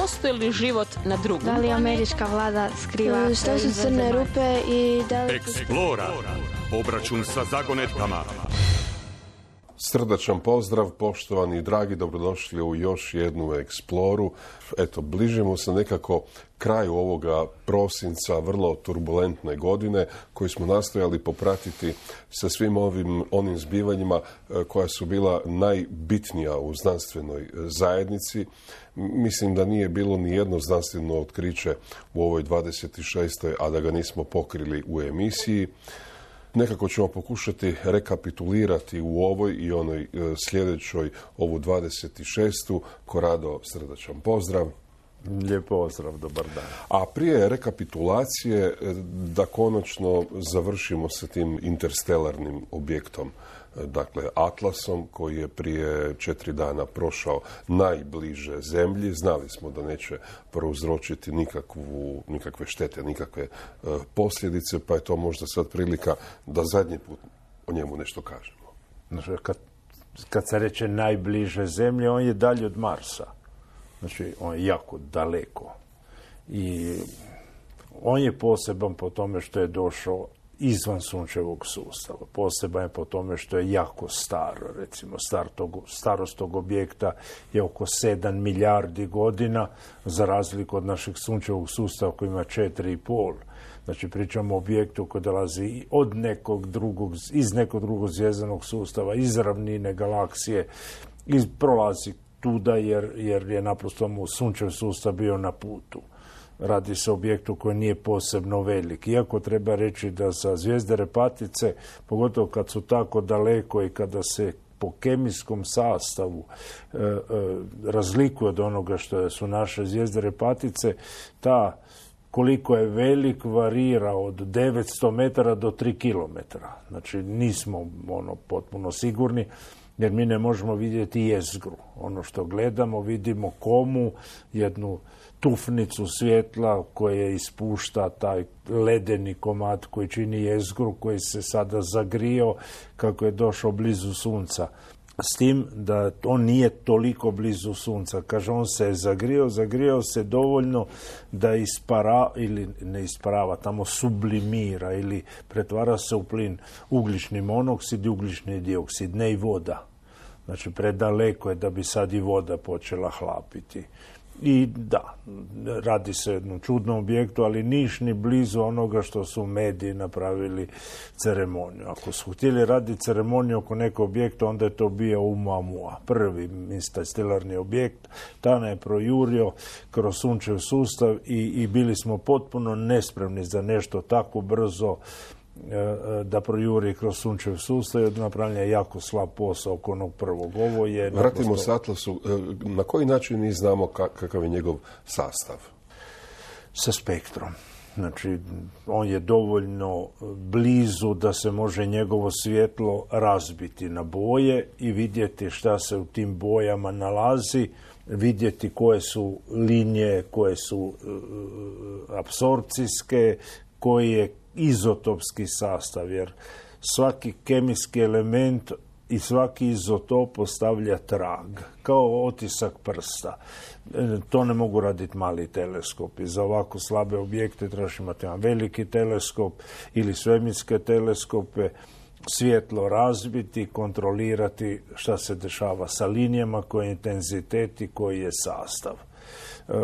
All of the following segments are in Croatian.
postoji li život na drugom? Da li američka vlada skriva? Šta su crne rupe i da li... Eksplora. Obračun sa zagonetkama. Srdačan pozdrav, poštovani i dragi, dobrodošli u još jednu Eksploru. Eto, bližimo se nekako kraju ovoga prosinca, vrlo turbulentne godine, koju smo nastojali popratiti sa svim onim zbivanjima koja su bila najbitnija u znanstvenoj zajednici. Mislim da nije bilo ni jedno znanstveno otkriće u ovoj 26. a da ga nismo pokrili u emisiji. Nekako ćemo pokušati rekapitulirati u ovoj i onoj sljedećoj, ovu 26. Korado, srdačan pozdrav. Lijep pozdrav, dobar dan. A prije rekapitulacije da konačno završimo sa tim interstelarnim objektom, dakle Atlasom, koji je prije 4 dana prošao najbliže Zemlji. Znali smo da neće prouzročiti nikakve štete, nikakve posljedice, pa je to možda sad prilika da zadnji put o njemu nešto kažemo. Znači, kad se reče najbliže Zemlje, on je dalje od Marsa. Znači, on je jako daleko. I on je poseban po tome što je došao izvan sunčevog sustava. Poseban je po tome što je jako star. Recimo, starost tog objekta je oko 7 milijardi godina, za razliku od našeg sunčevog sustava koji ima 4,5. Znači, pričamo o objektu koji dolazi iz nekog drugog zvjezdanog sustava, iz ravnine galaksije, prolazi tuda jer je naprosto mu sunčev sustav bio na putu. Radi se o objektu koji nije posebno velik. Iako treba reći da za zvijezde repatice, pogotovo kad su tako daleko i kada se po kemijskom sastavu razlikuje od onoga što su naše zvijezde repatice, ta koliko je velik varira od 900 metara do 3 kilometara. Znači nismo potpuno sigurni, jer mi ne možemo vidjeti jezgru. Ono što gledamo, vidimo komu, jednu tufnicu svjetla koje ispušta taj ledeni komad koji čini jezgru, koji se sada zagrio kako je došao blizu sunca. S tim da on nije toliko blizu sunca. Kaže, on se je zagrio se dovoljno da tamo sublimira ili pretvara se u plin ugljični monoksid i ugljični dioksid, ne i voda. Znači, predaleko je da bi sad i voda počela hlapiti. I da, radi se o jednom čudnom objektu, ali niš ni blizu onoga što su mediji napravili ceremoniju. Ako su htjeli raditi ceremoniju oko nekog objekta, onda je to bio Oumuamua, prvi interstelarni objekt. Tada je projurio kroz sunčev sustav i bili smo potpuno nespremni za nešto tako brzo da projuri kroz sunčev sustav, i napravljen je jako slab posao oko onog prvog. Ovo je Vratimo se Atlasu. Na koji način mi znamo kakav je njegov sastav? Sa spektrom. Znači, on je dovoljno blizu da se može njegovo svjetlo razbiti na boje i vidjeti šta se u tim bojama nalazi, vidjeti koje su linije, koje su apsorpcijske, koji je izotopski sastav, jer svaki kemijski element i svaki izotop ostavlja trag, kao otisak prsta. To ne mogu raditi mali teleskopi. Za ovako slabe objekte trebaš imati jedan veliki teleskop ili svemirske teleskope, svjetlo razbiti, kontrolirati šta se dešava sa linijama, koji je intenzitet i koji je sastav.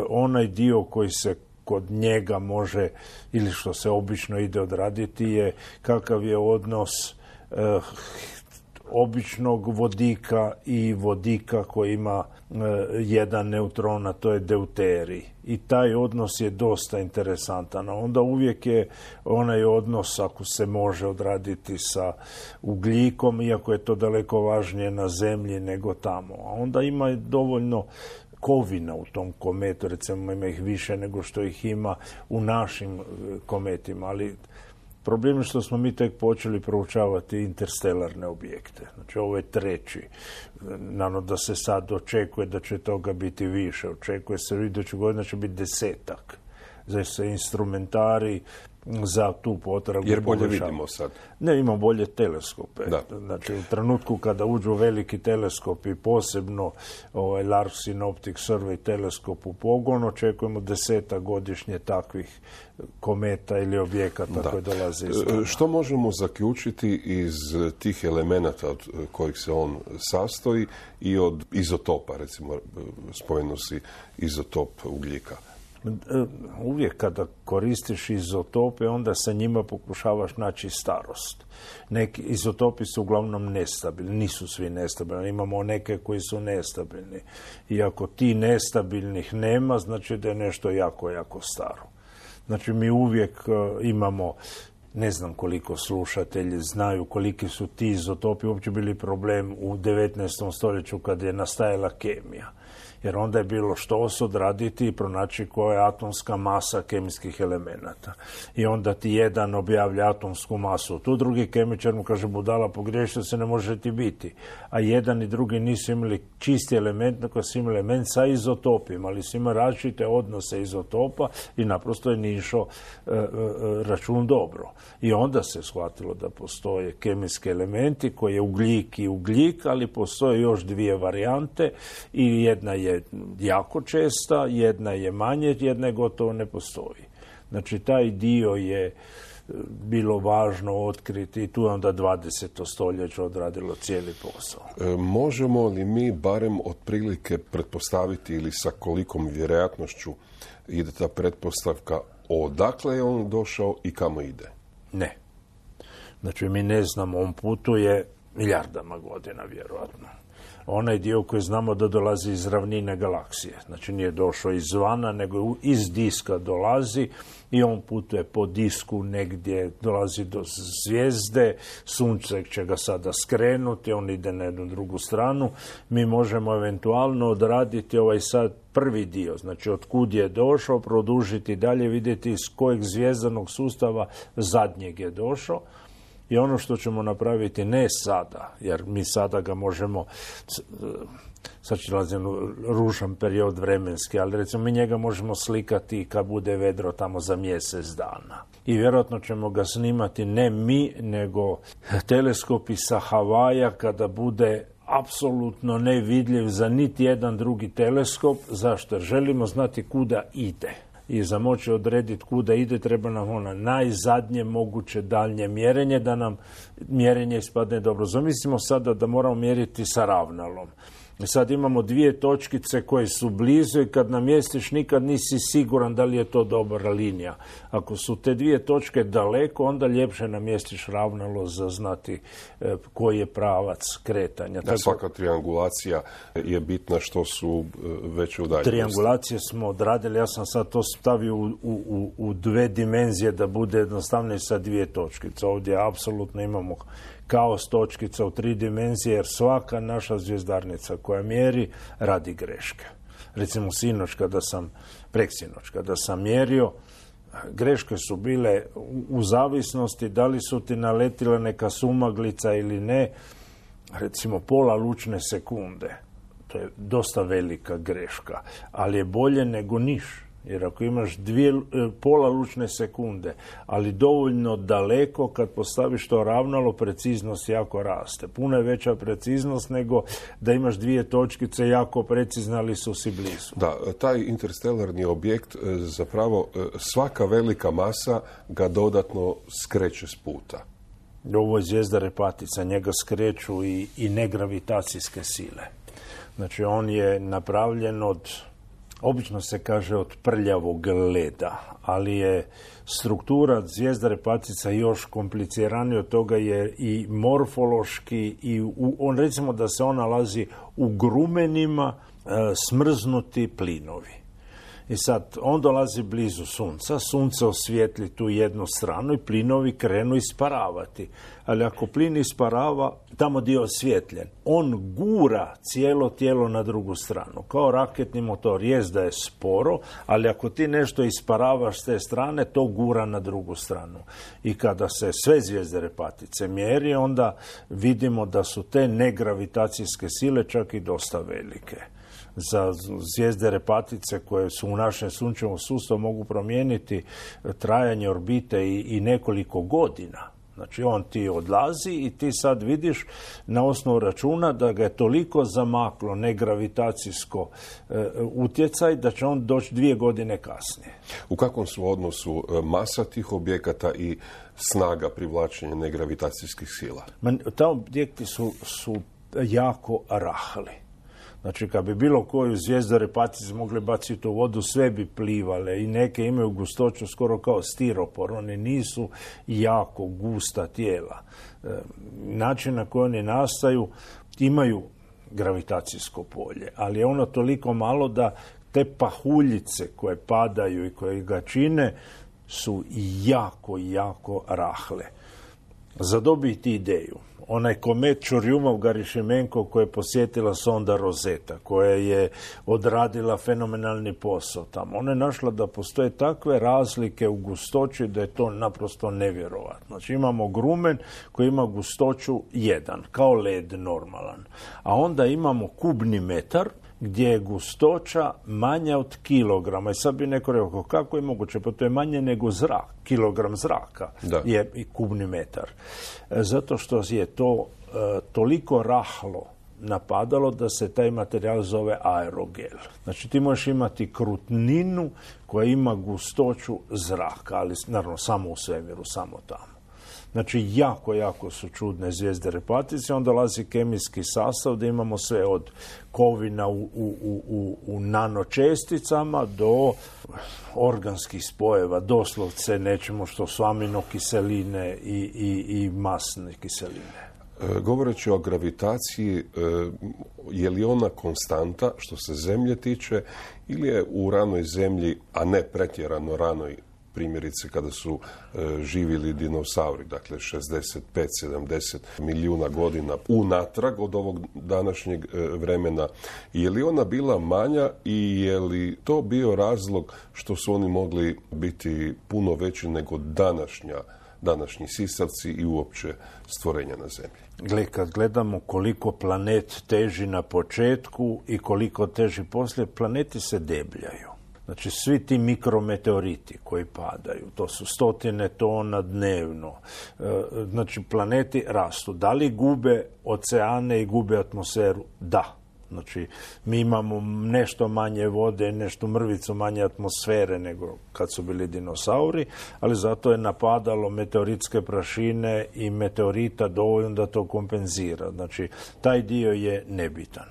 Onaj dio koji se kod njega može, ili što se obično ide odraditi, je kakav je odnos običnog vodika i vodika koji ima jedan neutron, a to je deuterij. I taj odnos je dosta interesantan. A onda uvijek je onaj odnos, ako se može odraditi sa ugljikom, iako je to daleko važnije na Zemlji nego tamo. A onda ima dovoljno kovina u tom kometu, recimo ima ih više nego što ih ima u našim kometima, ali problem je što smo mi tek počeli proučavati interstelarne objekte. Znači, ovo je treći. Naravno da se sad očekuje da će toga biti više. Očekuje se u idućoj godini da će biti 10. Znači se instrumentari za tu potragu. Jer bolje vidimo sad. Ne, imamo bolje teleskope. Da. Znači, u trenutku kada uđu veliki teleskopi, posebno Large Synoptic Survey teleskop u pogon, očekujemo 10-godišnje takvih kometa ili objekata koji dolaze iz toga. Što možemo zaključiti iz tih elemenata od kojih se on sastoji i od izotopa, recimo, spomenuo si izotop ugljika? Uvijek kada koristiš izotope, onda sa njima pokušavaš naći starost. Neki izotopi su uglavnom nestabilni, nisu svi nestabilni, imamo neke koji su nestabilni. I ako ti nestabilnih nema, znači da je nešto jako, jako staro. Znači mi uvijek imamo, ne znam koliko slušatelji znaju koliki su ti izotopi uopće bili problem u 19. stoljeću kad je nastajala kemija. Jer onda je bilo što se odraditi i pronaći koja je atomska masa kemijskih elemenata. I onda ti jedan objavlja atomsku masu, tu drugi kemičar mu kaže budala, pogriješio se, ne može ti biti. A jedan i drugi nisu imali čisti element, nego su imali element sa izotopima, ali su imali različite odnose izotopa i naprosto je nije išao račun dobro. I onda se shvatilo da postoje kemijski elementi koji je ugljik i ugljik, ali postoje još dvije varijante i jedna je jako česta, jedna je manje, jedna je gotovo ne postoji. Znači, taj dio je bilo važno otkriti i tu je onda 20. stoljeće odradilo cijeli posao. Možemo li mi barem otprilike pretpostaviti ili sa kolikom vjerojatnošću ide ta pretpostavka odakle je on došao i kamo ide? Ne. Znači, mi ne znamo, on putuje milijardama godina, vjerojatno. Onaj dio koji znamo da dolazi iz ravnine galaksije. Znači nije došao izvana, nego iz diska dolazi i on putuje po disku negdje, dolazi do zvijezde, sunce će ga sada skrenuti, on ide na jednu drugu stranu. Mi možemo eventualno odraditi ovaj sad prvi dio, znači od kud je došao, produžiti dalje, vidjeti iz kojeg zvijezdanog sustava zadnjeg je došao. I ono što ćemo napraviti ne sada, jer mi sada ga možemo, sad će dolaziti ružan period vremenski, ali recimo mi njega možemo slikati kad bude vedro tamo za mjesec dana. I vjerojatno ćemo ga snimati ne mi, nego teleskopi sa Havaja kada bude apsolutno nevidljiv za niti jedan drugi teleskop. Zašto? Jer želimo znati kuda ide. I za moći odrediti kuda ide treba nam ono najzadnje moguće daljnje mjerenje, da nam mjerenje ispadne dobro. Zamislimo sada da moramo mjeriti sa ravnalom. Sad imamo dvije točkice koje su blizu i kad namjestiš nikad nisi siguran da li je to dobra linija. Ako su te dvije točke daleko, onda ljepše namjestiš ravnalo za znati koji je pravac kretanja. Da, svaka triangulacija je bitna što su veće udaljenosti. Triangulacije smo odradili, ja sam sad to stavio u dve dimenzije da bude jednostavnije sa dvije točkice. Ovdje apsolutno imamo kaos točkica u 3 dimenzije, jer svaka naša zvjezdarnica koja mjeri radi greške. Recimo preksinoć kada sam mjerio, greške su bile u zavisnosti da li su ti naletila neka sumaglica ili ne, recimo pola lučne sekunde. To je dosta velika greška, ali je bolje nego niš. Jer ako imaš pola lučne sekunde, ali dovoljno daleko, kad postaviš to ravnalo, preciznost jako raste. Puno je veća preciznost nego da imaš dvije točkice jako precizne, ali su si blizu. Da, taj interstelarni objekt, zapravo svaka velika masa ga dodatno skreće s puta. Ovo je zvijezda Repatica, njega skreću i negravitacijske sile. Znači on je napravljen obično se kaže od prljavog leda, ali je struktura zvijezda Repatica još kompliciranija od toga je i morfološki i recimo da se on nalazi u grumenima smrznuti plinovi. I sad, on dolazi blizu sunca, sunce osvijetli tu jednu stranu i plinovi krenu isparavati. Ali ako plin isparava, tamo dio osvjetljen, on gura cijelo tijelo na drugu stranu. Kao raketni motor, jest da je sporo, ali ako ti nešto isparavaš s te strane, to gura na drugu stranu. I kada se sve zvijezde Repatice mjeri, onda vidimo da su te negravitacijske sile čak i dosta velike. za zvijezde repatice koje su u našem sunčevom sustavu mogu promijeniti trajanje orbite i nekoliko godina. Znači, on ti odlazi i ti sad vidiš na osnovu računa da ga je toliko zamaklo negravitacijsko utjecaj da će on doći 2 godine kasnije. U kakvom su odnosu masa tih objekata i snaga privlačenja negravitacijskih sila? Ta objekti su jako rahli. Znači, kad bi bilo koju zvijezdu repatice mogli baciti u vodu, sve bi plivale i neke imaju gustoću skoro kao stiropor. One nisu jako gusta tijela. Način na koji oni nastaju imaju gravitacijsko polje, ali je ono toliko malo da te pahuljice koje padaju i koje ga čine su jako, jako rahle. Za dobiti ideju, onaj komet Čurjumov-Garišimenko koje je posjetila sonda Rosetta, koja je odradila fenomenalni posao tamo. Ona je našla da postoje takve razlike u gustoći da je to naprosto nevjerovatno. Znači, imamo grumen koji ima gustoću 1, kao led normalan. A onda imamo kubni metar gdje je gustoća manja od kilograma. I sad bi neko rekao, kako je moguće? Pa to je manje nego zrak. Kilogram zraka je i kubni metar. Zato što je to toliko rahlo napadalo da se taj materijal zove aerogel. Znači, ti možeš imati krutninu koja ima gustoću zraka, ali naravno samo u svemiru, samo tamo. Znači, jako, jako su čudne zvijezde repatice. Onda dolazi kemijski sastav da imamo sve od kovina u nanočesticama do organskih spojeva, doslovce nečemu što su aminokiseline i masne kiseline. Govoreći o gravitaciji, je li ona konstanta što se Zemlje tiče ili je u ranoj Zemlji, a ne pretjerano ranoj, primjerice kada su živjeli dinosauri, dakle 65-70 milijuna godina unatrag od ovog današnjeg vremena, je li ona bila manja i je li to bio razlog što su oni mogli biti puno veći nego današnji sisavci i uopće stvorenja na Zemlji? Kad gledamo koliko planet teži na početku i koliko teži poslije, planeti se debljaju. Znači, svi ti mikrometeoriti koji padaju, to su 100 tona dnevno. Znači, planeti rastu. Da li gube oceane i gube atmosferu? Da. Znači, mi imamo nešto manje vode, nešto mrvicu manje atmosfere nego kad su bili dinosauri, ali zato je napadalo meteoritske prašine i meteorita dovoljno da to kompenzira. Znači, taj dio je nebitan.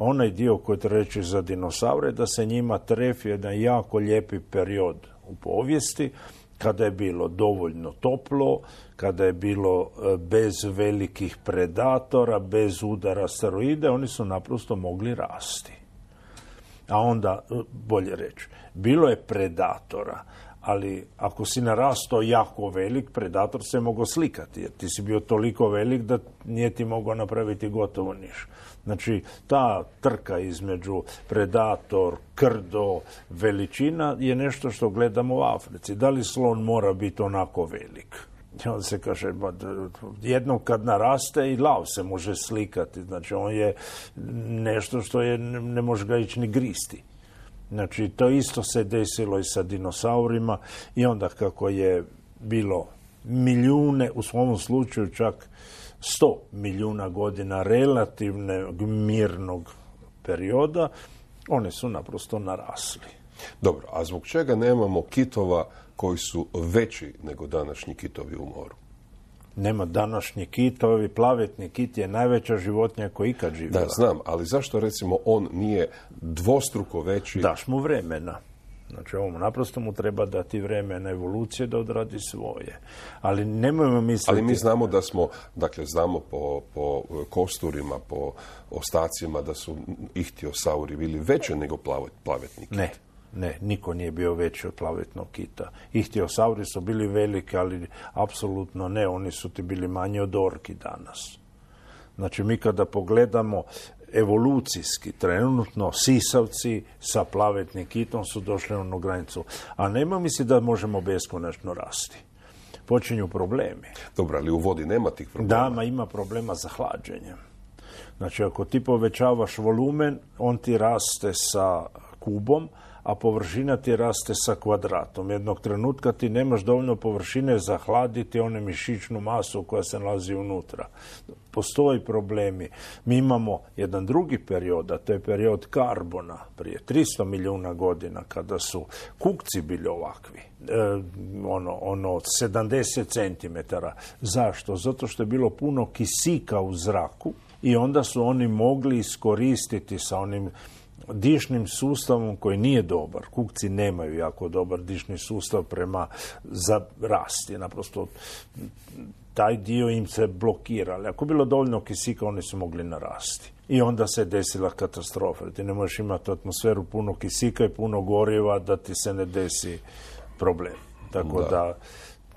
Onaj dio koji treba reći za dinosaure, da se njima trefi jedan jako lijepi period u povijesti, kada je bilo dovoljno toplo, kada je bilo bez velikih predatora, bez udara asteroide, oni su naprosto mogli rasti. A onda, bolje reći, bilo je predatora, ali ako si narastao jako velik, predator se mogao slikati, jer ti si bio toliko velik da nije ti mogao napraviti gotovo niš. Znači, ta trka između predator, krdo, veličina je nešto što gledamo u Africi. Da li slon mora biti onako velik? I onda se kaže, jednom kad naraste i lav se može slikati. Znači, on je nešto što ne može ga ići ni gristi. Znači, to isto se desilo i sa dinosaurima i onda kako je bilo milijune, u svom slučaju čak 100 milijuna godina relativnog mirnog perioda, one su naprosto narasli. Dobro, a zbog čega nemamo kitova koji su veći nego današnji kitovi u moru? Nema današnji kitovi, plavetni kit je najveća životinja koja ikad živjela. Da, znam, ali zašto recimo on nije dvostruko veći? Daš mu vremena. Znači, ovom naprosto mu treba dati vremena evolucije da odradi svoje. Ali nemojmo misliti... Ali mi znamo da smo, dakle, znamo po kosturima, po ostacima da su ihtiosauri bili veće nego plavetni kit. Ne, niko nije bio veći od plavetnog kita. Ihtiosauri su bili veliki, ali apsolutno ne. Oni su ti bili manji od orki danas. Znači, mi kada pogledamo evolucijski, trenutno sisavci sa plavetnim kitom su došli na onu granicu. A nema misli da možemo beskonačno rasti. Počinju problemi. Dobro, ali u vodi nema tih problema. Da, ima problema za hlađenjem. Znači, ako ti povećavaš volumen, on ti raste sa kubom, a površina ti raste sa kvadratom. Jednog trenutka ti nemaš dovoljno površine za hladiti onu mišićnu masu koja se nalazi unutra. Postoji problemi. Mi imamo jedan drugi period, a to je period karbona, prije 300 milijuna godina, kada su kukci bili ovakvi. Od 70 centimetara. Zašto? Zato što je bilo puno kisika u zraku i onda su oni mogli iskoristiti sa onim dišnim sustavom koji nije dobar. Kukci nemaju jako dobar dišni sustav za rast. Naprosto taj dio im se blokira. Ali ako je bilo dovoljno kisika, oni su mogli narasti. I onda se desila katastrofa. Ti ne možeš imati atmosferu puno kisika i puno goriva da ti se ne desi problem. Tako da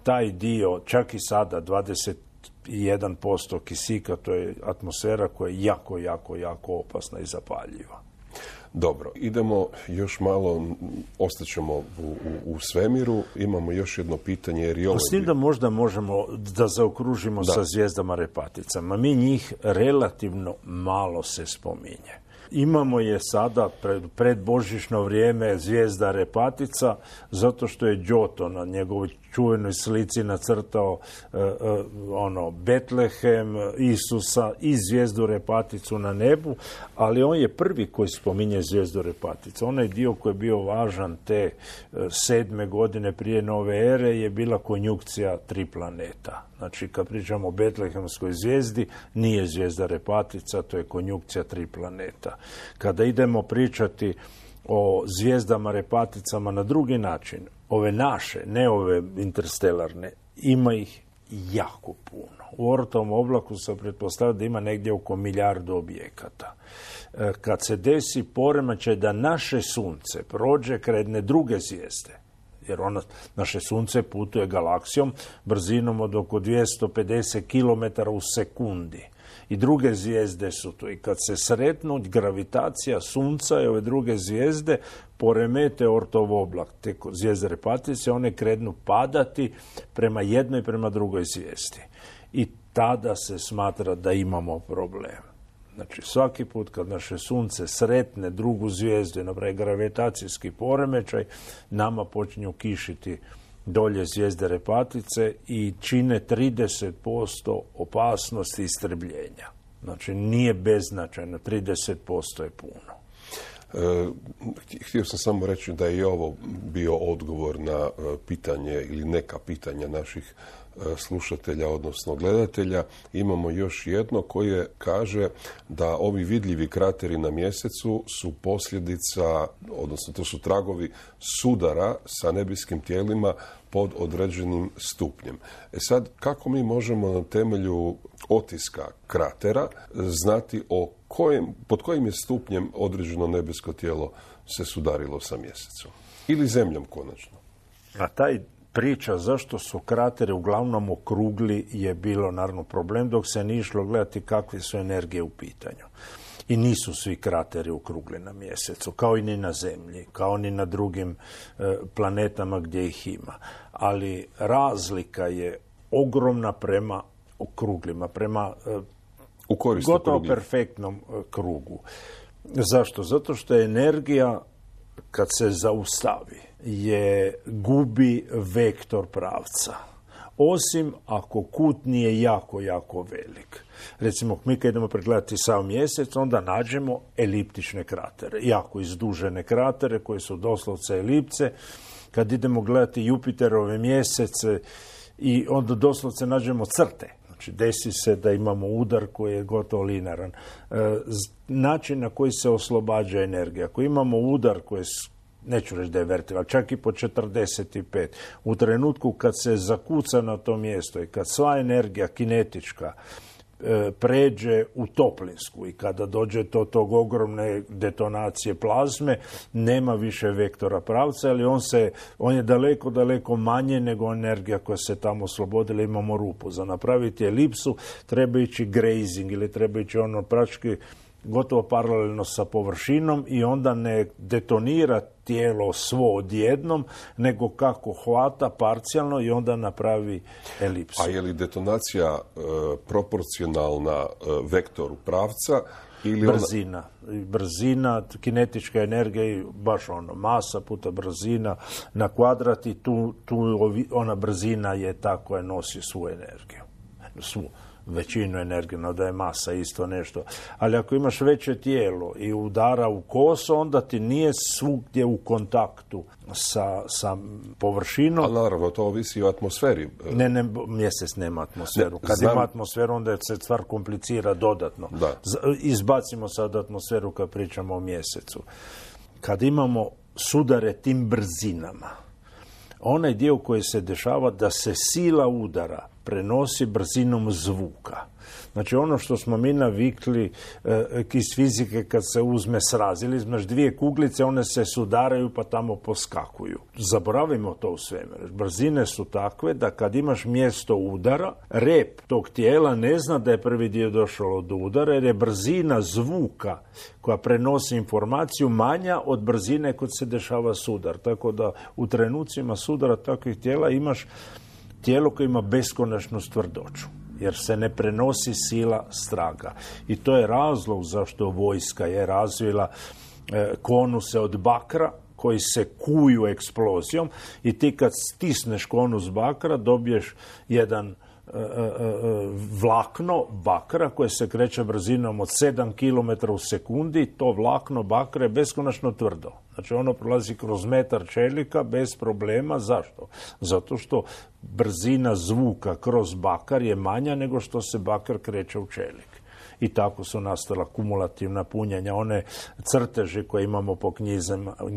taj dio, čak i sada 21% kisika, to je atmosfera koja je jako, jako, jako opasna i zapaljiva. Dobro, idemo još malo, ostaćemo u svemiru, imamo još jedno pitanje. Jer s tim da možda možemo da zaokružimo sa zvijezdama repaticama. Mi njih relativno malo se spominje. Imamo je sada pred božićno vrijeme zvijezda repatica, zato što je Giotto na njegovoj čuvenoj slici nacrtao Betlehem, Isusa i zvijezdu repaticu na nebu, ali on je prvi koji spominje zvijezdu repaticu. Onaj dio koji je bio važan te 7. godine prije nove ere je bila konjunkcija 3 planeta. Znači, kad pričamo o Betlehemskoj zvijezdi, nije zvijezda repatica, to je konjunkcija 3 planeta. Kada idemo pričati o zvijezdama repaticama na drugi način, ove naše, ne ove interstelarne, ima ih jako puno. U Ortovom oblaku se pretpostavlja da ima negdje oko 1 milijardu objekata. Kad se desi poremećaj da naše sunce prođe kraj jedne druge zvijezde, jer naše sunce putuje galaksijom brzinom od oko 250 km u sekundi. I druge zvijezde su tu. I kad se sretnu, gravitacija sunca i ove druge zvijezde poremete Ortov oblak. Te zvijezde repatice, one krenu padati prema jednoj i prema drugoj zvijezdi. I tada se smatra da imamo problem. Znači, svaki put kad naše sunce sretne drugu zvijezdu i napravi gravitacijski poremećaj, nama počinju kišiti dolje zvijezde repatice i čine 30% opasnosti istrebljenja. Znači, nije beznačajno, 30% je puno. Htio sam samo reći da je i ovo bio odgovor na pitanje ili neka pitanja naših slušatelja, odnosno gledatelja. Imamo još jedno koje kaže da ovi vidljivi krateri na mjesecu su posljedica, odnosno to su tragovi sudara sa nebeskim tijelima pod određenim stupnjem. Sad, kako mi možemo na temelju otiska kratera znati pod kojim je stupnjem određeno nebesko tijelo se sudarilo sa mjesecom? Ili zemljom, konačno? A taj priča zašto su krateri uglavnom okrugli je bilo naravno problem, dok se nije išlo gledati kakve su energije u pitanju. I nisu svi krateri okrugli na mjesecu, kao i ni na zemlji, kao ni na drugim planetama gdje ih ima. Ali razlika je ogromna prema okruglima, prema gotovo perfektnom krugu. Zašto? Zato što je energija, kad se zaustavi, gubi vektor pravca. Osim ako kut nije jako, jako velik. Recimo, mi kad idemo pregledati sav mjesec, onda nađemo eliptične kratere, jako izdužene kratere koje su doslovce elipse. Kad idemo gledati Jupiterove mjesece, i onda doslovce nađemo crte. Znači, desi se da imamo udar koji je gotovo linearan. Način na koji se oslobađa energija. Ako imamo udar koji je, neću reći da je vertikal, čak i po 45, u trenutku kad se zakuca na to mjesto i kad sva energija kinetička pređe u toplinsku i kada dođe do tog ogromne detonacije plazme, nema više vektora pravca, ali on je daleko, daleko manje nego energija koja se tamo oslobodila, imamo rupu. Za napraviti elipsu treba ići grazing ili treba ići praktički gotovo paralelno sa površinom i onda ne detonira tijelo svo odjednom, nego kako hvata parcijalno i onda napravi elipsu. A je li detonacija proporcionalna vektoru pravca ili brzina, kinetička energija i baš masa puta brzina na kvadrat i tu ona brzina je ta koja nosi svu energiju. Svu većinu energije, no da je masa isto nešto. Ali ako imaš veće tijelo i udara u kosu, onda ti nije svugdje u kontaktu sa površinom. Ali naravno, to ovisi i o atmosferi. Ne, mjesec nema atmosferu. Kad ima atmosferu, onda se stvar komplicira dodatno. Da. Izbacimo sad atmosferu kad pričamo o mjesecu. Kad imamo sudare tim brzinama, onaj dio koji se dešava da se sila udara prenosi brzinom zvuka. Znači ono što smo mi navikli iz fizike kad se uzme sraz ili izmeš dvije kuglice, one se sudaraju pa tamo poskakuju. Zaboravimo to u svemiru. Brzine su takve da kad imaš mjesto udara, rep tog tijela ne zna da je prvi dio došao do udara jer je brzina zvuka koja prenosi informaciju manja od brzine kod se dešava sudar. Tako da u trenucima sudara takvih tijela imaš tijelo koje ima beskonačnu tvrdoću, jer se ne prenosi sila straga. I to je razlog zašto vojska je razvila konuse od bakra koji se kuju eksplozijom i ti kad stisneš konus bakra dobiješ jedan vlakno bakra koje se kreće brzinom od 7 km u sekundi. To vlakno bakra je beskonačno tvrdo. Znači ono prolazi kroz metar čelika bez problema. Zašto? Zato što brzina zvuka kroz bakar je manja nego što se bakar kreće u čelik. I tako su nastala kumulativna punjenja. One crteže koje imamo po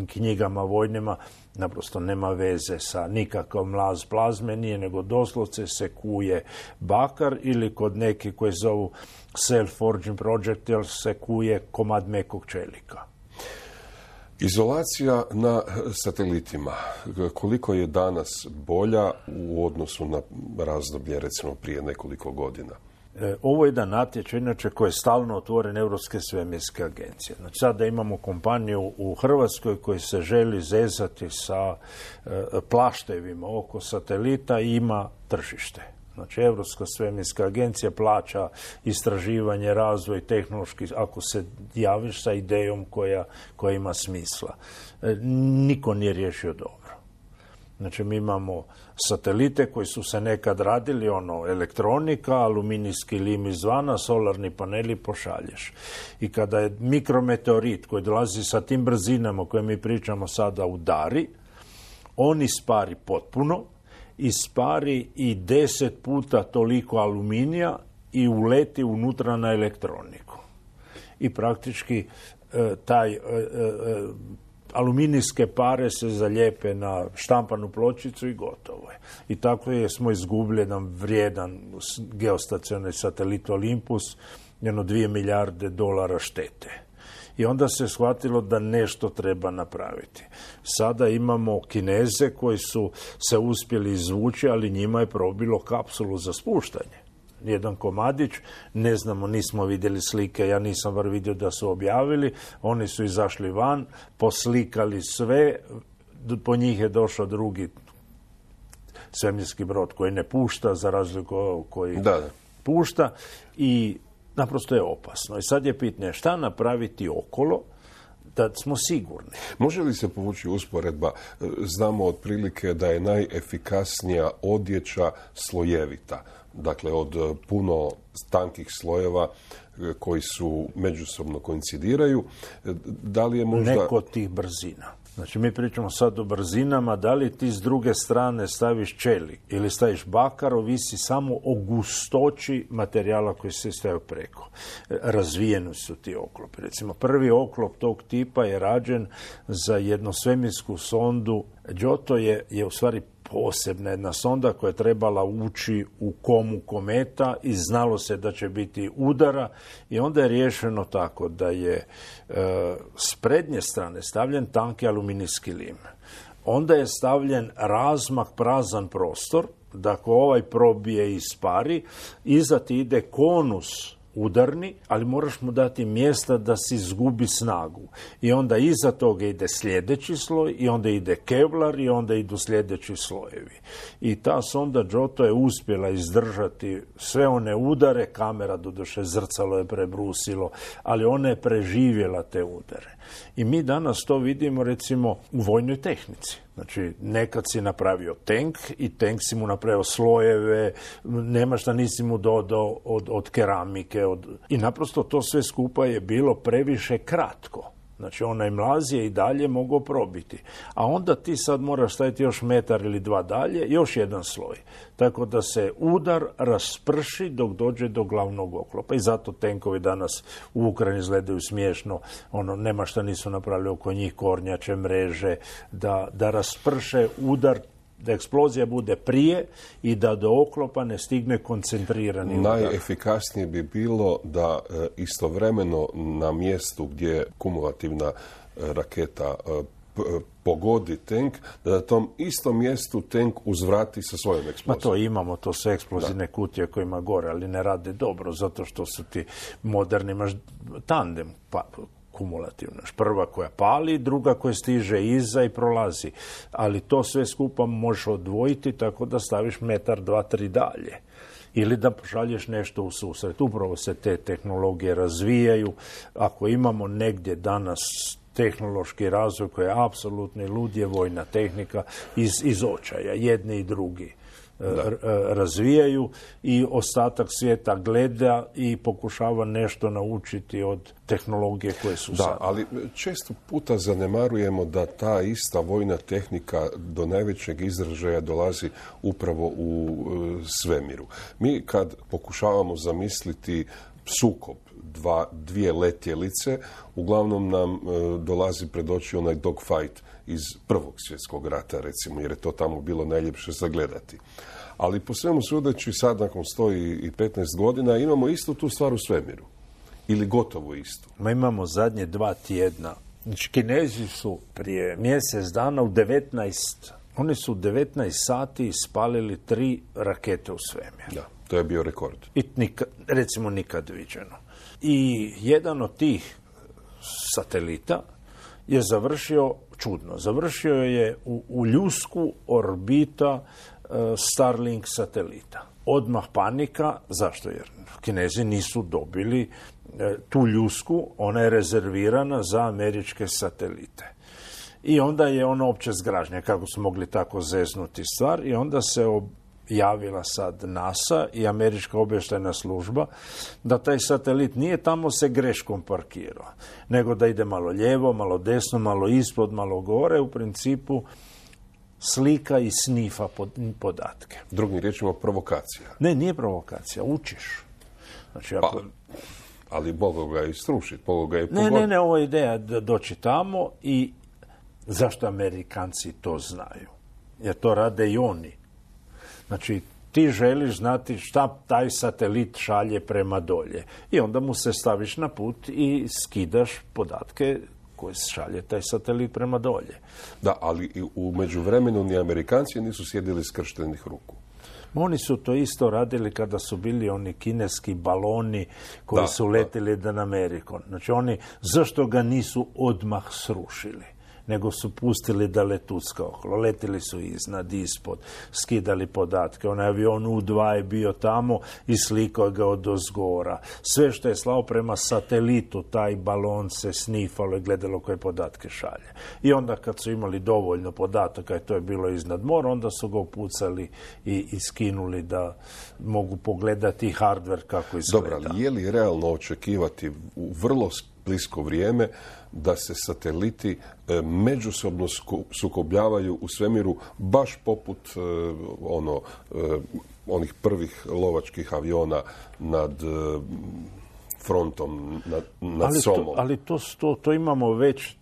knjigama vojnima naprosto nema veze sa nikakav mlaz plazme, nije nego doslovce se kuje bakar ili kod nekih koji zovu self-forging projectile se kuje komad mekog čelika. Izolacija na satelitima, koliko je danas bolja u odnosu na razdoblje recimo prije nekoliko godina? Ovo je jedan natječaj, inače koji je stalno otvoren Europske svemirske agencije. Znači sada imamo kompaniju u Hrvatskoj koji se želi zezati sa plaštevima oko satelita i ima tržište. Znači Europska svemirska agencija plaća istraživanje, razvoj tehnološki, ako se javiš sa idejom koja ima smisla. Niko nije riješio dobro. Znači mi imamo satelite koji su se nekad radili, elektronika, aluminijski lim izvana, solarni paneli pošalješ. I kada je mikrometeorit koji dolazi sa tim brzinama o kojima mi pričamo sada udari, on ispari potpuno, ispari i 10 puta toliko aluminija i uleti unutra na elektroniku. I praktički taj aluminijske pare se zalijepe na štampanu pločicu i gotovo je. I tako smo izgubili jedan vrijedan geostacionarni satelit Olympus, $2 milijarde štete. I onda se shvatilo da nešto treba napraviti. Sada imamo Kineze koji su se uspjeli izvući, ali njima je probilo kapsulu za spuštanje. Jedan komadić, ne znamo, nismo vidjeli slike, ja nisam bar vidio da su objavili, oni su izašli van, poslikali sve, po njih je došao drugi svemirski brod koji ne pušta, za razliku koji pušta i naprosto je opasno. I sad je pitanje šta napraviti okolo da smo sigurni. Može li se povući usporedba? Znamo otprilike da je najefikasnija odjeća slojevita. Dakle, od puno tankih slojeva koji su međusobno koincidiraju. Da li je možda... Neko tih brzina. Znači, mi pričamo sad o brzinama, da li ti s druge strane staviš čelik ili staviš bakar, ovisi samo o gustoći materijala koji se stavio preko. Razvijeni su ti oklopi. Recimo, prvi oklop tog tipa je rađen za jednu svemirsku sondu. Giotto je u stvari posebna jedna sonda koja je trebala ući u komu kometa i znalo se da će biti udara i onda je riješeno tako da je s prednje strane stavljen tanki aluminijski lim. Onda je stavljen razmak, prazan prostor, da ako ovaj probije i ispari, iza ti ide konus udarni, ali moraš mu dati mjesta da si izgubi snagu. I onda iza toga ide sljedeći sloj i onda ide kevlar i onda idu sljedeći slojevi. I ta sonda Giotto je uspjela izdržati sve one udare, kamera doduše zrcalo je prebrusilo, ali ona je preživjela te udare. I mi danas to vidimo recimo u vojnoj tehnici. Znači, nekad si napravio tank i tank si mu napravio slojeve, nema šta nisi mu dodao od keramike. I naprosto to sve skupa je bilo previše kratko. Znači, onaj mlaz je i dalje mogao probiti. A onda ti sad moraš staviti još metar ili dva dalje, još jedan sloj. Tako da se udar rasprši dok dođe do glavnog oklopa. I zato tenkovi danas u Ukrajini izgledaju smiješno. Nema šta nisu napravili oko njih, kornjače, mreže, da rasprše udar, da eksplozija bude prije i da do oklopa ne stigne koncentrirani udar. Najefikasnije bi bilo da istovremeno na mjestu gdje je kumulativna raketa pogodi tank, da na tom istom mjestu tank uzvrati sa svojom eksplozijom. To imamo, to su eksplozivne kutije kojima gore, ali ne rade dobro, zato što su ti moderni, imaš tandem kumulativna. Prva koja pali, druga koja stiže iza i prolazi. Ali to sve skupa možeš odvojiti tako da staviš metar, dva, tri dalje. Ili da pošalješ nešto u susret. Upravo se te tehnologije razvijaju. Ako imamo negdje danas tehnološki razvoj koji je apsolutni lud, je vojna tehnika iz očaja. Jedni i drugi razvijaju i ostatak svijeta gleda i pokušava nešto naučiti od tehnologije koje su sad. Ali često puta zanemarujemo da ta ista vojna tehnika do najvećeg izražaja dolazi upravo u svemiru. Mi kad pokušavamo zamisliti sukob dvije letjelice, uglavnom nam dolazi pred oči onaj dogfight iz Prvog svjetskog rata, recimo, jer je to tamo bilo najljepše zagledati. Ali po svemu sudeći, sad nakon 115 godina imamo istu tu stvar u svemiru. Ili gotovo istu. Imamo zadnje 2 tjedna. Znači, Kinezi su prije mjesec dana oni su u 19 sati ispalili 3 rakete u svemir. Da, to je bio rekord. I recimo nikad viđeno. I jedan od tih satelita je završio je u ljusku orbita Starlink satelita. Odmah panika, zašto? Jer Kinezi nisu dobili tu ljusku, ona je rezervirana za američke satelite. I onda je ono opće zgražnje, kako su mogli tako zeznuti stvar, i onda se javila sad NASA i američka obavještajna služba da taj satelit nije tamo se greškom parkirao, nego da ide malo lijevo, malo desno, malo ispod, malo gore, u principu slika i snifa podatke. Drugim riječima provokacija. Ne, nije provokacija, učiš. Znači, ali mogu ga i strušiti, mogu ga i pogoditi. Ne, ovo je ideja da doći tamo. I zašto Amerikanci to znaju? Jer to rade i oni. Znači, ti želiš znati šta taj satelit šalje prema dolje. I onda mu se staviš na put i skidaš podatke koje šalje taj satelit prema dolje. Da, ali u međuvremenu ni Amerikanci nisu sjedili skrštenih ruku. Oni su to isto radili kada su bili oni kineski baloni koji su letili na Ameriku. Znači, zašto ga nisu odmah srušili? Nego su pustili da letucka okolo. Letili su iznad, ispod, skidali podatke. Onaj avion U-2 je bio tamo i slikao ga od ozgora. Sve što je slao prema satelitu, taj balon se snifalo i gledalo koje podatke šalje. I onda kad su imali dovoljno podataka i to je bilo iznad mora, onda su ga upucali i skinuli da mogu pogledati hardver kako izgleda. Dobro, ali je li realno očekivati u vrlo blisko vrijeme da se sateliti međusobno sukobljavaju u svemiru baš poput onih prvih lovačkih aviona nad frontom, nad Somom? Ali to imamo već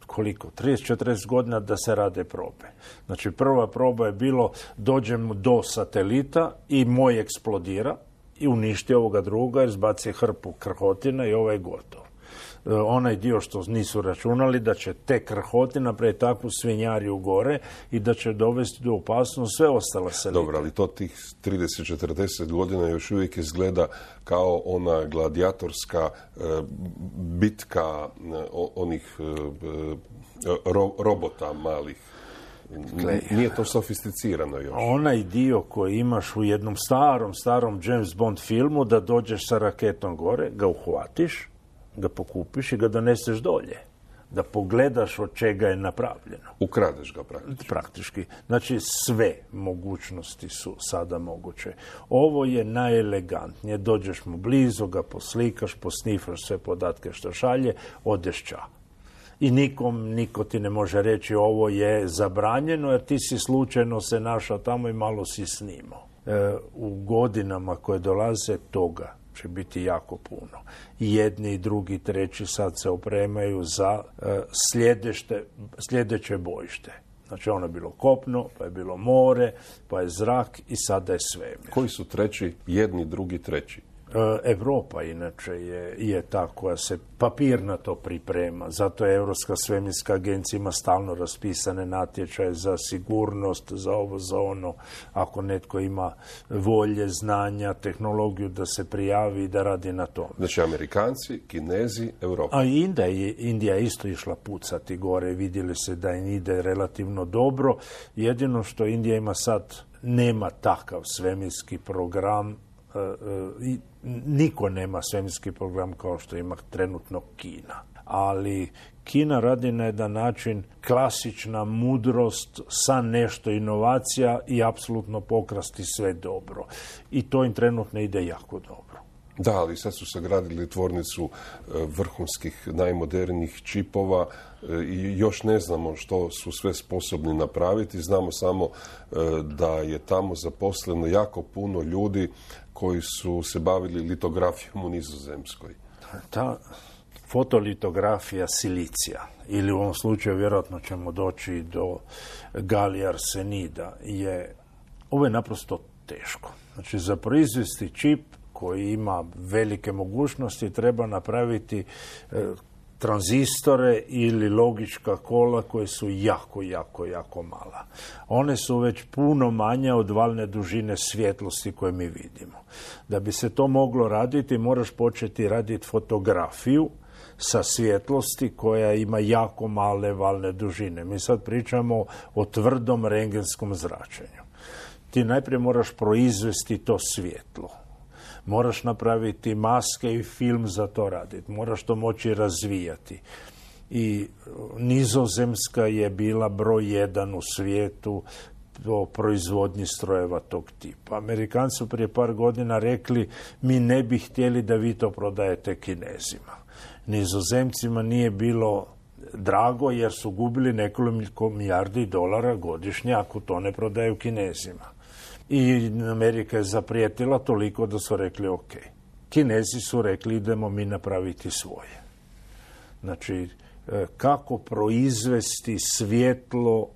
koliko? 30-40 godina da se rade probe. Znači, prva proba je bilo dođemo do satelita i moj eksplodira i uništi ovoga druga jer zbaci hrpu krhotina i ovo je gotovo. onaj dio što nisu računali da će te krhoti napraviti takvu svinjariju gore i da će dovesti do opasnosti sve ostale selite. Dobro, ali to tih 30-40 godina još uvijek izgleda kao ona gladijatorska bitka onih robota malih. Nije to sofisticirano još. Onaj dio koji imaš u jednom starom James Bond filmu, da dođeš sa raketom gore, ga uhvatiš, ga pokupiš i ga doneseš dolje. Da pogledaš od čega je napravljeno. Ukradeš ga praktički. Znači sve mogućnosti su sada moguće. Ovo je najelegantnije. Dođeš mu blizu, ga poslikaš, posnifaš sve podatke što šalje, odeš ča. I niko ti ne može reći ovo je zabranjeno, jer ti si slučajno se našao tamo i malo si snimao. U godinama koje dolaze toga će biti jako puno. Jedni, drugi, treći sad se opremaju za sljedeće bojište. Znači ono je bilo kopno, pa je bilo more, pa je zrak i sada je svemir. Koji su treći, jedni, drugi, treći? Europa inače je ta koja se papirnato priprema. Zato je Europska svemirska agencija ima stalno raspisane natječaje za sigurnost, za ovo, za ono. Ako netko ima volje, znanja, tehnologiju da se prijavi i da radi na tome. Znači Amerikanci, Kinezi, Europa. A Indija je isto išla pucati gore. Vidjeli se da im ide relativno dobro. Jedino što Indija ima sad, nema takav svemirski program. Niko nema svemirski program kao što ima trenutno Kina. Ali Kina radi na jedan način klasična mudrost sa nešto inovacija i apsolutno pokrasti sve dobro. I to im trenutno ide jako dobro. Da, ali sad su sagradili tvornicu vrhunskih, najmodernijih čipova i još ne znamo što su sve sposobni napraviti. Znamo samo da je tamo zaposleno jako puno ljudi koji su se bavili litografijom u Nizozemskoj. Ta fotolitografija silicija, ili u ovom slučaju vjerojatno ćemo doći do galija arsenida, ovo je naprosto teško. Znači, za proizvesti čip koji ima velike mogućnosti treba napraviti tranzistore ili logička kola koje su jako mala. One su već puno manje od valne dužine svjetlosti koje mi vidimo. Da bi se to moglo raditi, moraš početi raditi fotografiju sa svjetlosti koja ima jako male valne dužine. Mi sad pričamo o tvrdom rengenskom zračenju. Ti najprije moraš proizvesti to svjetlo. Moraš napraviti maske i film za to raditi. Moraš to moći razvijati. I Nizozemska je bila broj 1 u svijetu o proizvodnji strojeva tog tipa. Amerikanci su prije par godina rekli mi ne bi htjeli da vi to prodajete Kinezima. Nizozemcima nije bilo drago jer su gubili nekoliko milijardi dolara godišnje ako to ne prodaju Kinezima. I Amerika je zaprijetila toliko da su rekli ok. Kinezi su rekli idemo mi napraviti svoje. Znači, kako proizvesti svjetlo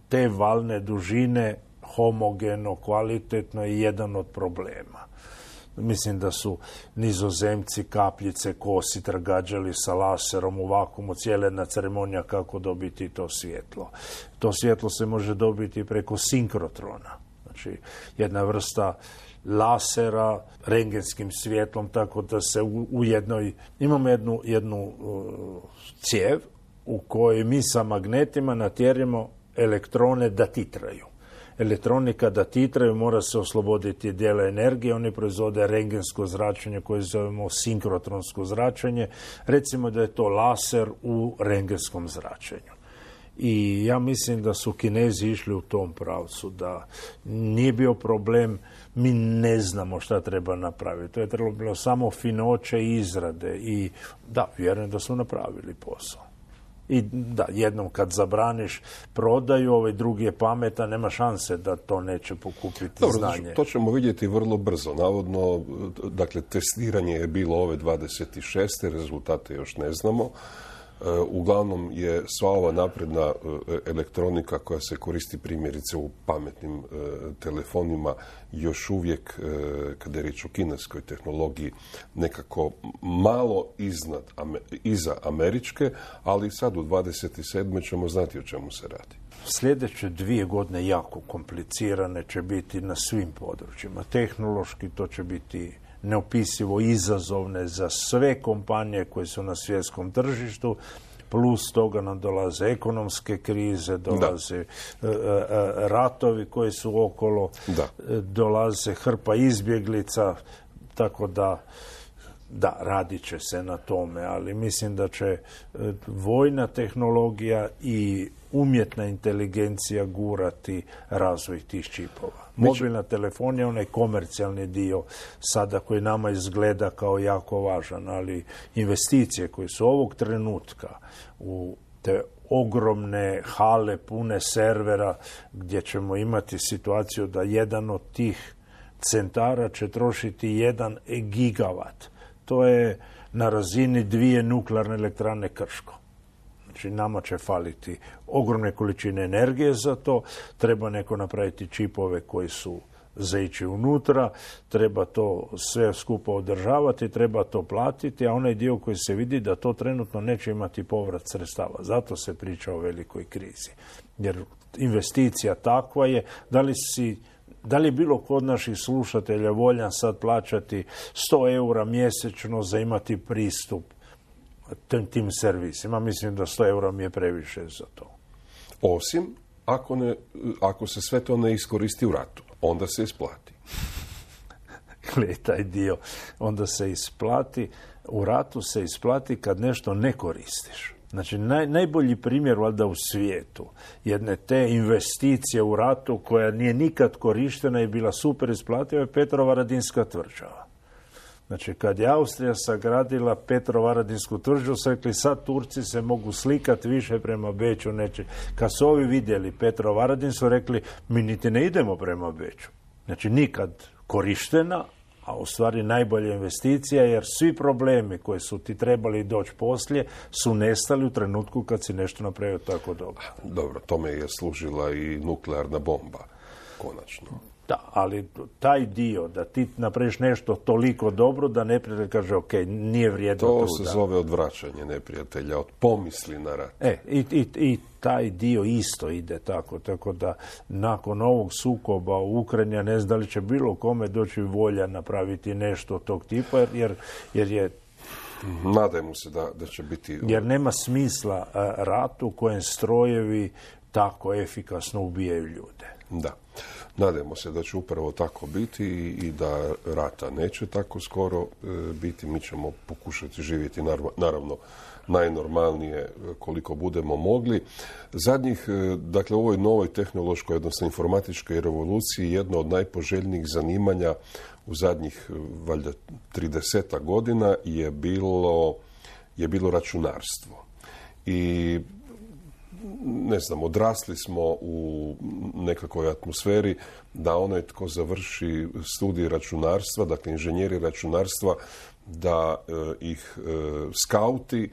te valne dužine homogeno, kvalitetno je jedan od problema. Mislim da su Nizozemci kapljice kosi trgađali sa laserom u vakuumu, cijela jedna ceremonija kako dobiti to svjetlo. To svjetlo se može dobiti preko sinkrotrona. Znači, jedna vrsta lasera rengenskim svjetlom, tako da se u jednoj... Imamo jednu cijev u kojoj mi sa magnetima natjerimo elektrone da titraju. Elektroni kada titraju mora se osloboditi dijela energije, oni proizvode rengensko zračenje koje zovemo sinkrotronsko zračenje. Recimo da je to laser u rengenskom zračenju. I ja mislim da su Kinezi išli u tom pravcu, da nije bio problem, mi ne znamo šta treba napraviti. To je trebalo samo finoće i izrade i da, vjerujem da su napravili posao. I da, jednom kad zabraniš prodaju, ovaj drugi je pametan, nema šanse da to neće pokupiti znanje. To ćemo vidjeti vrlo brzo. Navodno, dakle, testiranje je bilo ove 26. rezultate još ne znamo. Uglavnom je sva ova napredna elektronika koja se koristi primjerice u pametnim telefonima još uvijek, kada je riječ o kineskoj tehnologiji, nekako malo iza američke, ali sad u 27. ćemo znati o čemu se radi. Sljedeće 2 godine jako komplicirane će biti na svim područjima. Tehnološki to će biti neopisivo izazovne za sve kompanije koje su na svjetskom tržištu, plus toga nam dolaze ekonomske krize, dolaze ratovi koji su okolo, dolaze hrpa izbjeglica, tako da radit će se na tome, ali mislim da će vojna tehnologija i umjetna inteligencija gurati razvoj tih čipova. Mobilna telefonija, onaj komercijalni dio sada koji nama izgleda kao jako važan, ali investicije koje su ovog trenutka u te ogromne hale pune servera gdje ćemo imati situaciju da jedan od tih centara će trošiti 1 gigavat. To je na razini 2 nuklearne elektrane Krško. Znači, nama će faliti ogromne količine energije za to, treba neko napraviti čipove koji su za ići unutra, treba to sve skupo održavati, treba to platiti, a onaj dio koji se vidi da to trenutno neće imati povrat sredstava. Zato se priča o velikoj krizi. Jer investicija takva je, da li je bilo kod naših slušatelja voljan sad plaćati 100 eura mjesečno za imati pristup tim servisima? Mislim da 100 eura mi je previše za to. Osim ako se sve to ne iskoristi u ratu, onda se isplati. Taj dio, onda se isplati, u ratu se isplati kad nešto ne koristiš. Znači, najbolji primjer valjda u svijetu jedne te investicije u ratu koja nije nikad korištena i bila super isplativa je Petrovaradinska tvrđava. Znači, kad je Austrija sagradila Petrovaradinsku tvrđavu, su rekli sad Turci se mogu slikati više prema Beču. Neće. Kad su ovi vidjeli Petrovaradin, su rekli mi niti ne idemo prema Beču. Znači, nikad korištena, a u stvari najbolja investicija, jer svi problemi koji su ti trebali doći poslije su nestali u trenutku kad si nešto napravio tako dobro. Dobro, tome je služila i nuklearna bomba, konačno. Da, ali taj dio da ti napraviš nešto toliko dobro da neprijatelj kaže ok, nije vrijedno truda. To se zove odvraćanje neprijatelja od pomisli na rat. I taj dio isto ide tako da nakon ovog sukoba u Ukrajini, ne znam da li će bilo kome doći volja napraviti nešto tog tipa, jer je nadajmo se da će biti... Jer nema smisla ratu u kojem strojevi tako efikasno ubijaju ljude. Da. Nadajmo se da će upravo tako biti i da rata neće tako skoro biti. Mi ćemo pokušati živjeti naravno najnormalnije koliko budemo mogli. Dakle, u ovoj novoj tehnološkoj, odnosno informatičkoj revoluciji jedno od najpoželjnijih zanimanja u zadnjih valjda 30 godina je bilo računarstvo. I ne znam, odrasli smo u nekakvoj atmosferi da onaj tko završi studij računarstva, dakle inženjeri računarstva, da ih skauti,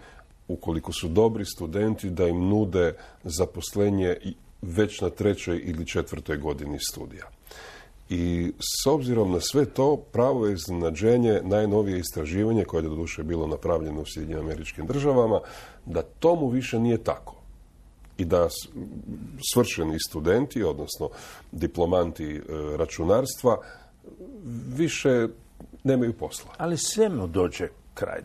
ukoliko su dobri studenti, da im nude zaposlenje već na 3. ili 4. godini studija. I s obzirom na sve to, pravo je iznenađenje najnovije istraživanje, koje je doduše bilo napravljeno u Sjedinjenim Američkim Državama, da tomu više nije tako. I da svršeni studenti, odnosno diplomanti računarstva, više nemaju posla. Ali svemu dođe kraj.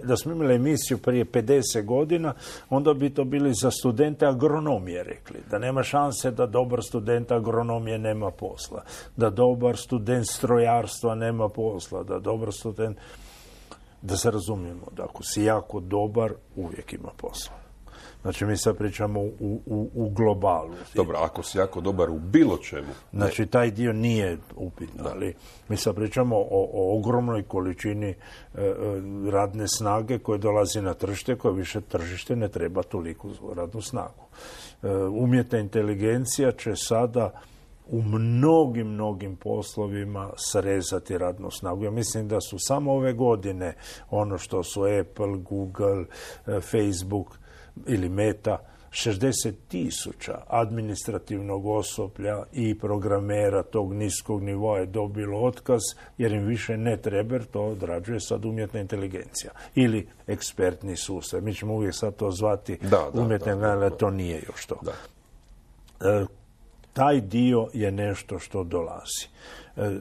Da smo imali emisiju prije 50 godina, onda bi to bili za studente agronomije rekli. Da nema šanse da dobar student agronomije nema posla. Da dobar student strojarstva nema posla. Da dobar student... Da se razumijemo, da ako si jako dobar, uvijek ima posla. Znači, mi sad pričamo u globalu. Dobro, ako si jako dobar u bilo čemu. Znači, taj dio nije upitno, ali mi sad pričamo o ogromnoj količini radne snage koje dolazi na tržište, koje više tržište ne treba toliku radnu snagu. Umjetna inteligencija će sada u mnogim poslovima srezati radnu snagu. Ja mislim da su samo ove godine ono što su Apple, Google, Facebook ili Meta, 60.000 administrativnog osoblja i programera tog niskog nivoa je dobilo otkaz jer im više ne treba, jer to odrađuje sad umjetna inteligencija ili ekspertni sustav. Mi ćemo uvijek sad to zvati umjetna inteligencija, to nije još to. Taj dio je nešto što dolazi.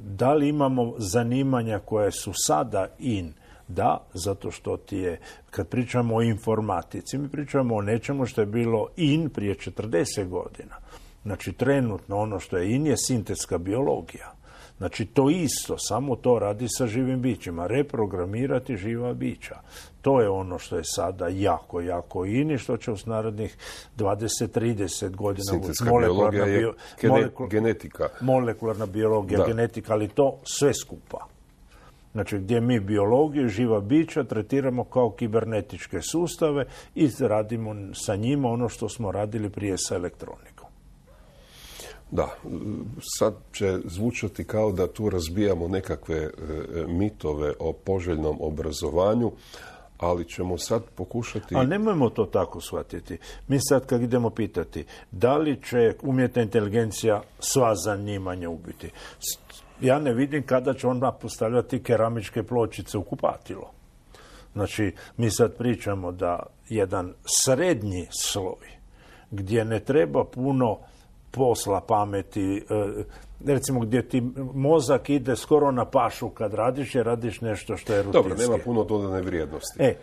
Da li imamo zanimanja koje su sada in? Da, zato što ti je, kad pričamo o informatici, mi pričamo o nečemu što je bilo in prije 40 godina. Znači, trenutno ono što je in je sintetska biologija. Znači, to isto, samo to radi sa živim bićima. Reprogramirati živa bića. To je ono što je sada jako in i što će u narednih 20-30 godina... Sintetska biologija je genetika. Molekularna biologija, genetika, ali to sve skupa. Znači, gdje mi biologiju, živa bića tretiramo kao kibernetičke sustave i radimo sa njima ono što smo radili prije sa elektronikom. Da, sad će zvučati kao da tu razbijamo nekakve mitove o poželjnom obrazovanju, ali ćemo sad pokušati... Ali nemojmo to tako shvatiti. Mi sad kad idemo pitati da li će umjetna inteligencija sva zanimanja ubiti, ja ne vidim kada će ona postavljati keramičke pločice u kupatilo. Znači, mi sad pričamo da jedan srednji sloj, gdje ne treba puno posla, pameti, recimo gdje ti mozak ide skoro na pašu kad radiš, jer radiš nešto što je rutinski. Dobro, nema puno dodane vrijednosti.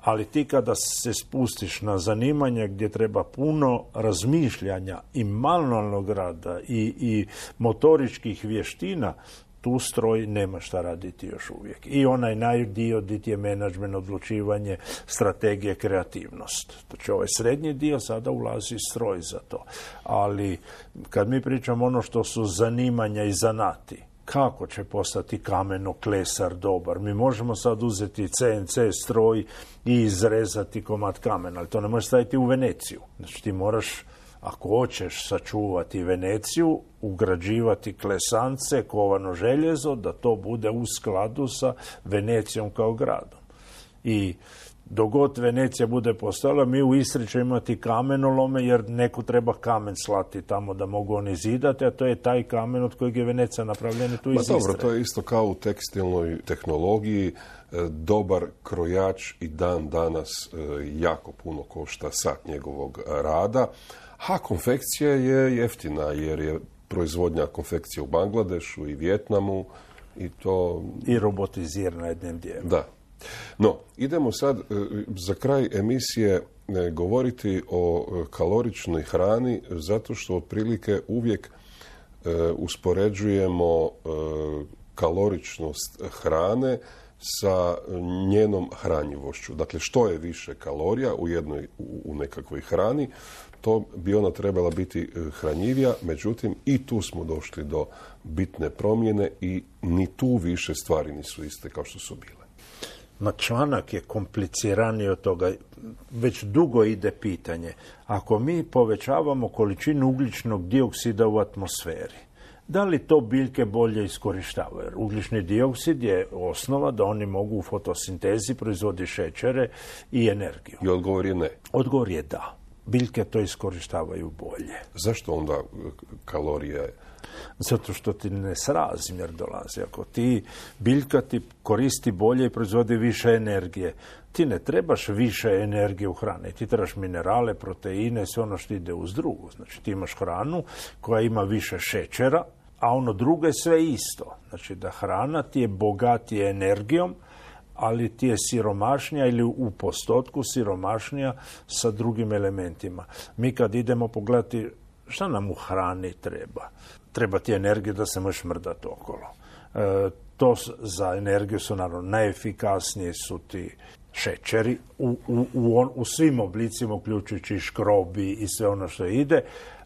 Ali ti kada se spustiš na zanimanje gdje treba puno razmišljanja i manualnog rada i motoričkih vještina, tu stroj nema šta raditi još uvijek. I onaj najdio gdje je menadžment, odlučivanje, strategije, kreativnost. Znači, ovaj srednji dio sada ulazi stroj za to. Ali kad mi pričamo ono što su zanimanja i zanati, kako će postati kamenoklesar dobar? Mi možemo sad uzeti CNC stroj i izrezati komad kamena, ali to ne možeš staviti u Veneciju. Znači, ti moraš, ako hoćeš sačuvati Veneciju, ugrađivati klesance, kovano željezo, da to bude u skladu sa Venecijom kao gradom. I dok god Venecija bude postojala, mi u Istri ćemo imati kamenolome, jer neko treba kamen slati tamo da mogu oni zidati, a to je taj kamen od kojeg je Venecija napravljena tu iz Istre. Dobro, to je isto kao u tekstilnoj tehnologiji. Dobar krojač i dan danas jako puno košta sat njegovog rada, a konfekcija je jeftina, jer je proizvodnja konfekcije u Bangladešu i Vijetnamu i to... I robotizirana jednim dijelu. Da. No, idemo sad za kraj emisije govoriti o kaloričnoj hrani, zato što otprilike uvijek uspoređujemo kaloričnost hrane sa njenom hranjivošću. Dakle, što je više kalorija u nekakvoj hrani, to bi ona trebala biti hranjivija, međutim i tu smo došli do bitne promjene i ni tu više stvari nisu iste kao što su bile. Ma članak je kompliciraniji od toga. Već dugo ide pitanje. Ako mi povećavamo količinu ugljičnog dioksida u atmosferi, da li to biljke bolje iskorištavaju? Jer ugljični dioksid je osnova da oni mogu u fotosintezi proizvoditi šećere i energiju. I odgovor je ne. Odgovor je da. Biljke to iskorištavaju bolje. Zašto onda kalorije? Zato što ti nesrazmjer dolazi. Ako biljka ti koristi bolje i proizvodi više energije, ti ne trebaš više energije u hrani. Ti trebaš minerale, proteine, sve ono što ide uz drugo. Znači ti imaš hranu koja ima više šećera, a ono drugo je sve isto. Znači da hrana ti je bogatija energijom, ali ti je siromašnija ili u postotku siromašnija sa drugim elementima. Mi kad idemo pogledati šta nam u hrani treba, treba ti energije da se možeš mrdati okolo. To za energiju su naravno najefikasniji su ti šećeri u svim oblicima, uključujući škrobi i sve ono što ide,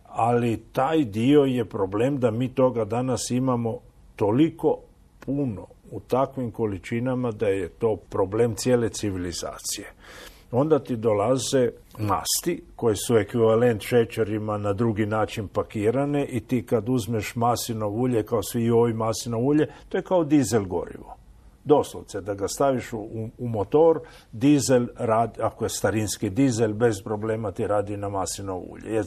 ali taj dio je problem da mi toga danas imamo toliko puno u takvim količinama da je to problem cijele civilizacije. onda ti dolaze masti koje su ekvivalent šećerima na drugi način pakirane i ti kad uzmeš maslinovo ulje, kao svi ovi maslinovo ulje, to je kao dizel gorivo. Doslovce, da ga staviš u motor, dizel radi, ako je starinski dizel, bez problema ti radi na maslinovo ulje.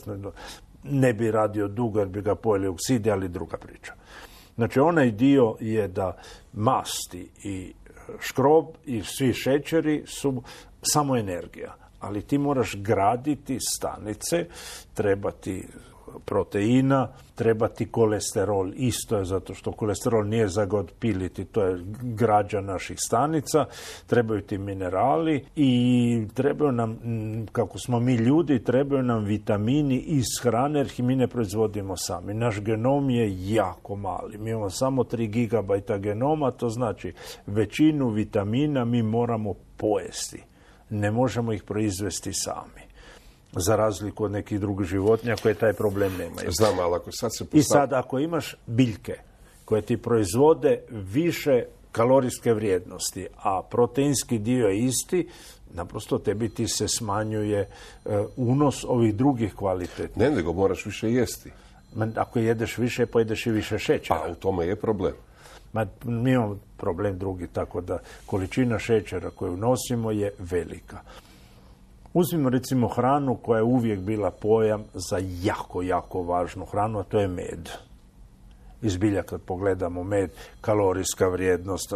Ne bi radio dugo jer bi ga pojeli oksidi, ali druga priča. Znači, onaj dio je da masti i škrob i svi šećeri su samo energija. Ali ti moraš graditi stanice, treba ti proteina, treba ti kolesterol. Isto je zato što kolesterol nije za ga otpiliti, to je građa naših stanica, trebaju ti minerali i trebaju nam, kako smo mi ljudi, trebaju nam vitamini iz hrane jer mi ne proizvodimo sami. Naš genom je jako mali. Mi imamo samo 3 gigabajta genoma, to znači većinu vitamina mi moramo pojesti. Ne možemo ih proizvesti sami. Za razliku od nekih drugih životinja koje taj problem nemaju. Znam, ali ako sad se I sad ako imaš biljke koje ti proizvode više kalorijske vrijednosti, a proteinski dio je isti, naprosto tebi ti se smanjuje unos ovih drugih kvaliteta. Ne, nego moraš više jesti. Ako jedeš više, pojedeš i više šećera. A u tome je problem. Mi imamo problem drugi, tako da količina šećera koju unosimo je velika. Uzmimo recimo hranu koja je uvijek bila pojam za jako, jako važnu hranu, a to je med. Izbilja kad pogledamo med, kalorijska vrijednost,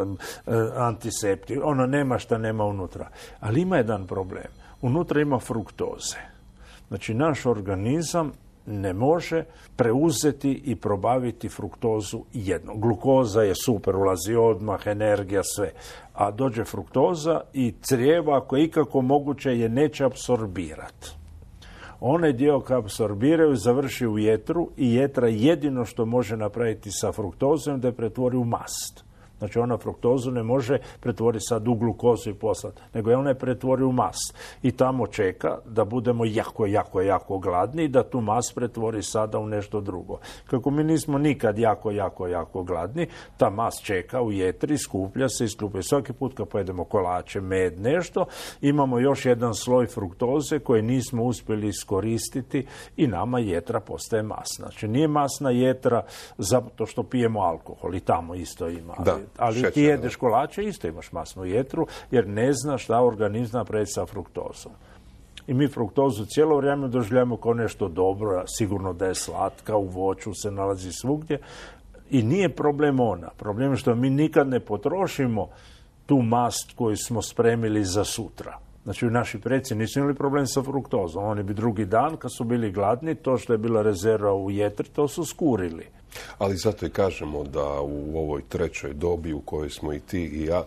antiseptik, ono nema šta nema unutra. Ali ima jedan problem. Unutra ima fruktoze. Znači, naš organizam ne može preuzeti i probaviti fruktozu jedno. Glukoza je super, ulazi odmah, energija, sve. A dođe fruktoza i crijeva, ako je ikako moguće, je neće apsorbirati. Onaj dio kad apsorbiraju završi u jetru i jetra jedino što može napraviti sa fruktozom da je pretvori u mast. Znači, ona fruktozu ne može pretvoriti sad u glukozu i poslati, nego je ona pretvori u mast. I tamo čeka da budemo jako, jako, jako gladni i da tu mast pretvori sada u nešto drugo. Kako mi nismo nikad jako, jako, jako gladni, ta mast čeka u jetri, skuplja se i skuplja. Svaki put kad pojedemo kolače, med, nešto, imamo još jedan sloj fruktoze koji nismo uspjeli iskoristiti i nama jetra postaje masna. Znači, nije masna jetra zato što pijemo alkohol i tamo isto ima. Da. Ali ti jedeš kolače, isto imaš masnu jetru, jer ne znaš šta organizam napraviti sa fruktozom. I mi fruktozu cijelo vrijeme doživljamo kao nešto dobro, sigurno da je slatka, u voću se nalazi svugdje. I nije problem ona. Problem je što mi nikad ne potrošimo tu mast koju smo spremili za sutra. Znači, naši preci nisu imali problem sa fruktozom. Oni bi drugi dan, kad su bili gladni, to što je bila rezerva u jetri, to su skurili. Ali zato i kažemo da u ovoj trećoj dobi u kojoj smo i ti i ja,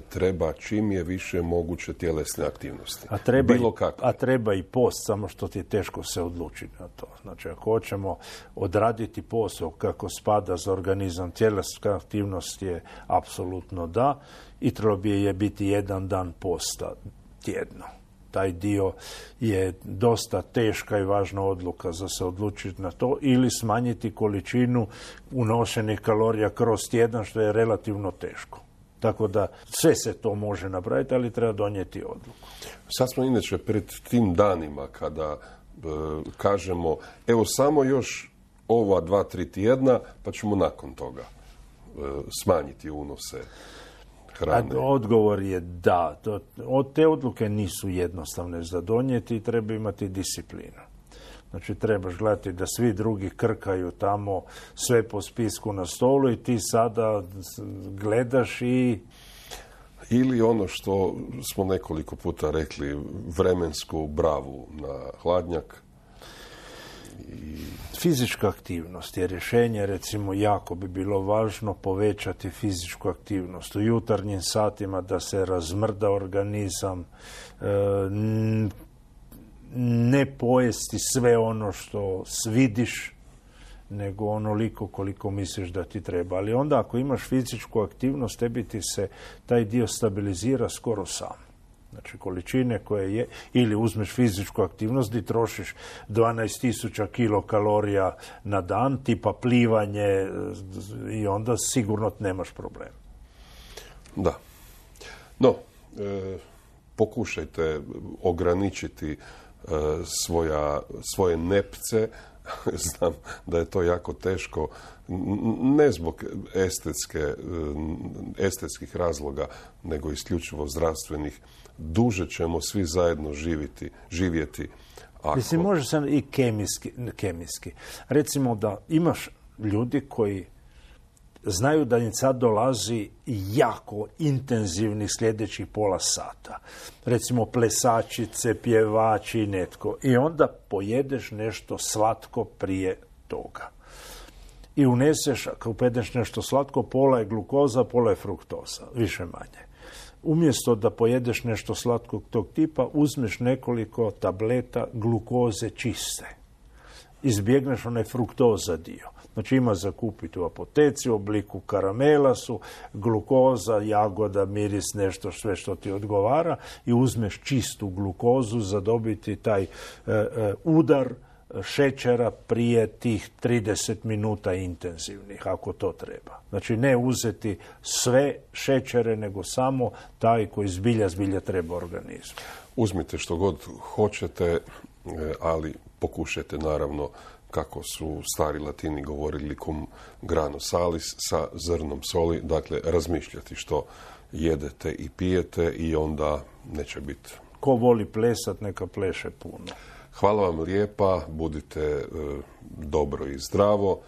treba čim je više moguće tjelesne aktivnosti. A treba i post, samo što ti je teško se odlučiti na to. Znači, ako hoćemo odraditi posao kako spada za organizam, tjelesna aktivnost je apsolutno da, i trebalo bi je biti 1 dan posta tjedno. Taj dio je dosta teška i važna odluka za se odlučiti na to, ili smanjiti količinu unošenih kalorija kroz tjedan, što je relativno teško. Tako da sve se to može napraviti, ali treba donijeti odluku. Sad smo inače pred tim danima kada kažemo evo samo još ova 2-3 tjedna pa ćemo nakon toga smanjiti unose hrane. Odgovor je da. Te odluke nisu jednostavne za donijeti i treba imati disciplinu. Znači, trebaš gledati da svi drugi krkaju tamo sve po spisku na stolu i ti sada gledaš i... Ili ono što smo nekoliko puta rekli, vremensku bravu na hladnjak. Fizička aktivnost je rješenje, recimo, jako bi bilo važno povećati fizičku aktivnost. U jutarnjim satima da se razmrda organizam, ne pojesti sve ono što vidiš, nego onoliko koliko misliš da ti treba. Ali onda ako imaš fizičku aktivnost, tebi ti se taj dio stabilizira skoro sam. Znači, količine koje je, ili uzmeš fizičku aktivnost gdje trošiš 12.000 kilokalorija na dan, tipa plivanje, i onda sigurno nemaš problem. Da. No, pokušajte ograničiti svoje nepce. Znam da je to jako teško, ne zbog estetskih razloga, nego isključivo zdravstvenih. Duže ćemo svi zajedno živjeti. Mislim, može se i kemijski. Recimo da imaš ljudi koji znaju da im sad dolazi jako intenzivnih sljedećih pola sata. Recimo plesačice, pjevači, netko. I onda pojedeš nešto slatko prije toga. I uneseš, ako pojedeš nešto slatko, pola je glukoza, pola je fruktoza, više manje. Umjesto da pojedeš nešto slatkog tog tipa, uzmeš nekoliko tableta glukoze čiste. Izbjegneš onaj fruktoza dio. Znači ima za kupiti u apoteci, u obliku karamela su, glukoza, jagoda, miris, nešto sve što ti odgovara i uzmeš čistu glukozu za dobiti taj udar šećera prije tih 30 minuta intenzivnih, ako to treba. Znači ne uzeti sve šećere, nego samo taj koji zbilja treba organizmu. Uzmite što god hoćete, ali pokušajte naravno, kako su stari Latini govorili, cum grano salis, sa zrnom soli, dakle razmišljati što jedete i pijete i onda neće biti. Ko voli plesat, neka pleše puno. Hvala vam lijepa, budite dobro i zdravo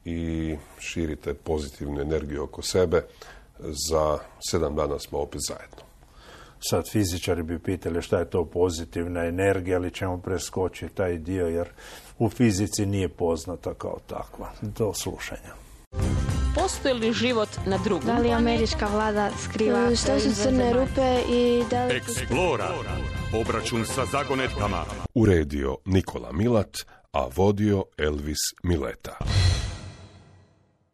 i širite pozitivnu energiju oko sebe. Za 7 dana smo opet zajedno. Sad fizičari bi pitali šta je to pozitivna energija, ali ćemo preskočiti taj dio jer u fizici nije poznata kao takva. Do slušanja. Postoji li život na drugom? Da li američka vlada skriva? Što su crne rupe i da li... Eksplora. Obračun sa zagonetkama. Uredio Nikola Milat, a vodio Elvis Mileta.